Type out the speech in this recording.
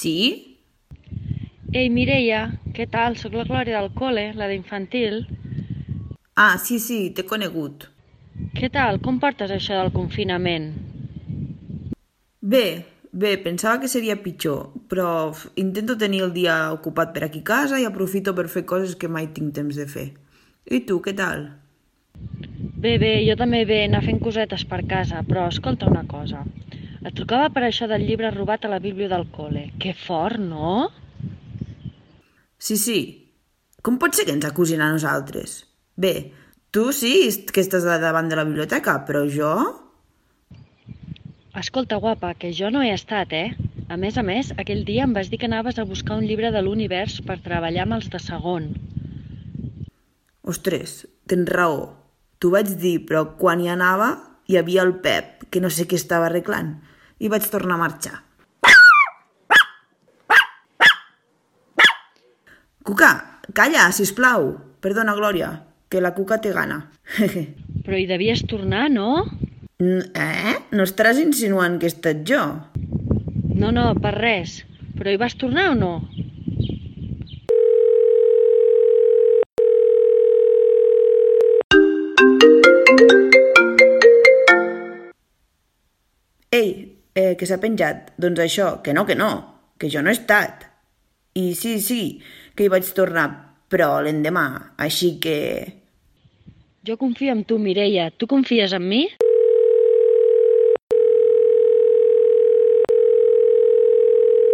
Sí? Ei, Mireia, què tal? Soc la Glòria del col·le, la d'infantil. Ah, sí, t'he conegut. Què tal? Com portes això del confinament? Bé, pensava que seria pitjor, però intento tenir el dia ocupat per aquí a casa i aprofito per fer coses que mai tinc temps de fer. I tu, què tal? Bé, jo també bé, anar fent cosetes per casa, però escolta una cosa. Et trucava per això del llibre robat a la bíblia del col·le. Que fort, no? Sí. Com pot ser que ens acusin a nosaltres? Bé, tu sí que estàs davant de la biblioteca, però jo... Escolta, guapa, que jo no he estat, eh? A més, aquell dia em vas dir que anaves a buscar un llibre de l'univers per treballar amb els de segon. Ostres, tens raó. T'ho vaig dir, però quan hi anava hi havia el Pep, que no sé què estava arreglant, i vaig tornar a marxar. Cuca, calla, sisplau. Perdona, Glòria, que la Cuca té gana. Però hi devies tornar, no? No estaràs insinuant que he estat jo? No, per res. Però hi vas tornar o no? Ei, que s'ha penjat. Doncs això, que jo no he estat. I sí, que hi vaig tornar, però l'endemà, així que... Jo confio en tu, Mireia. Tu confies en mi?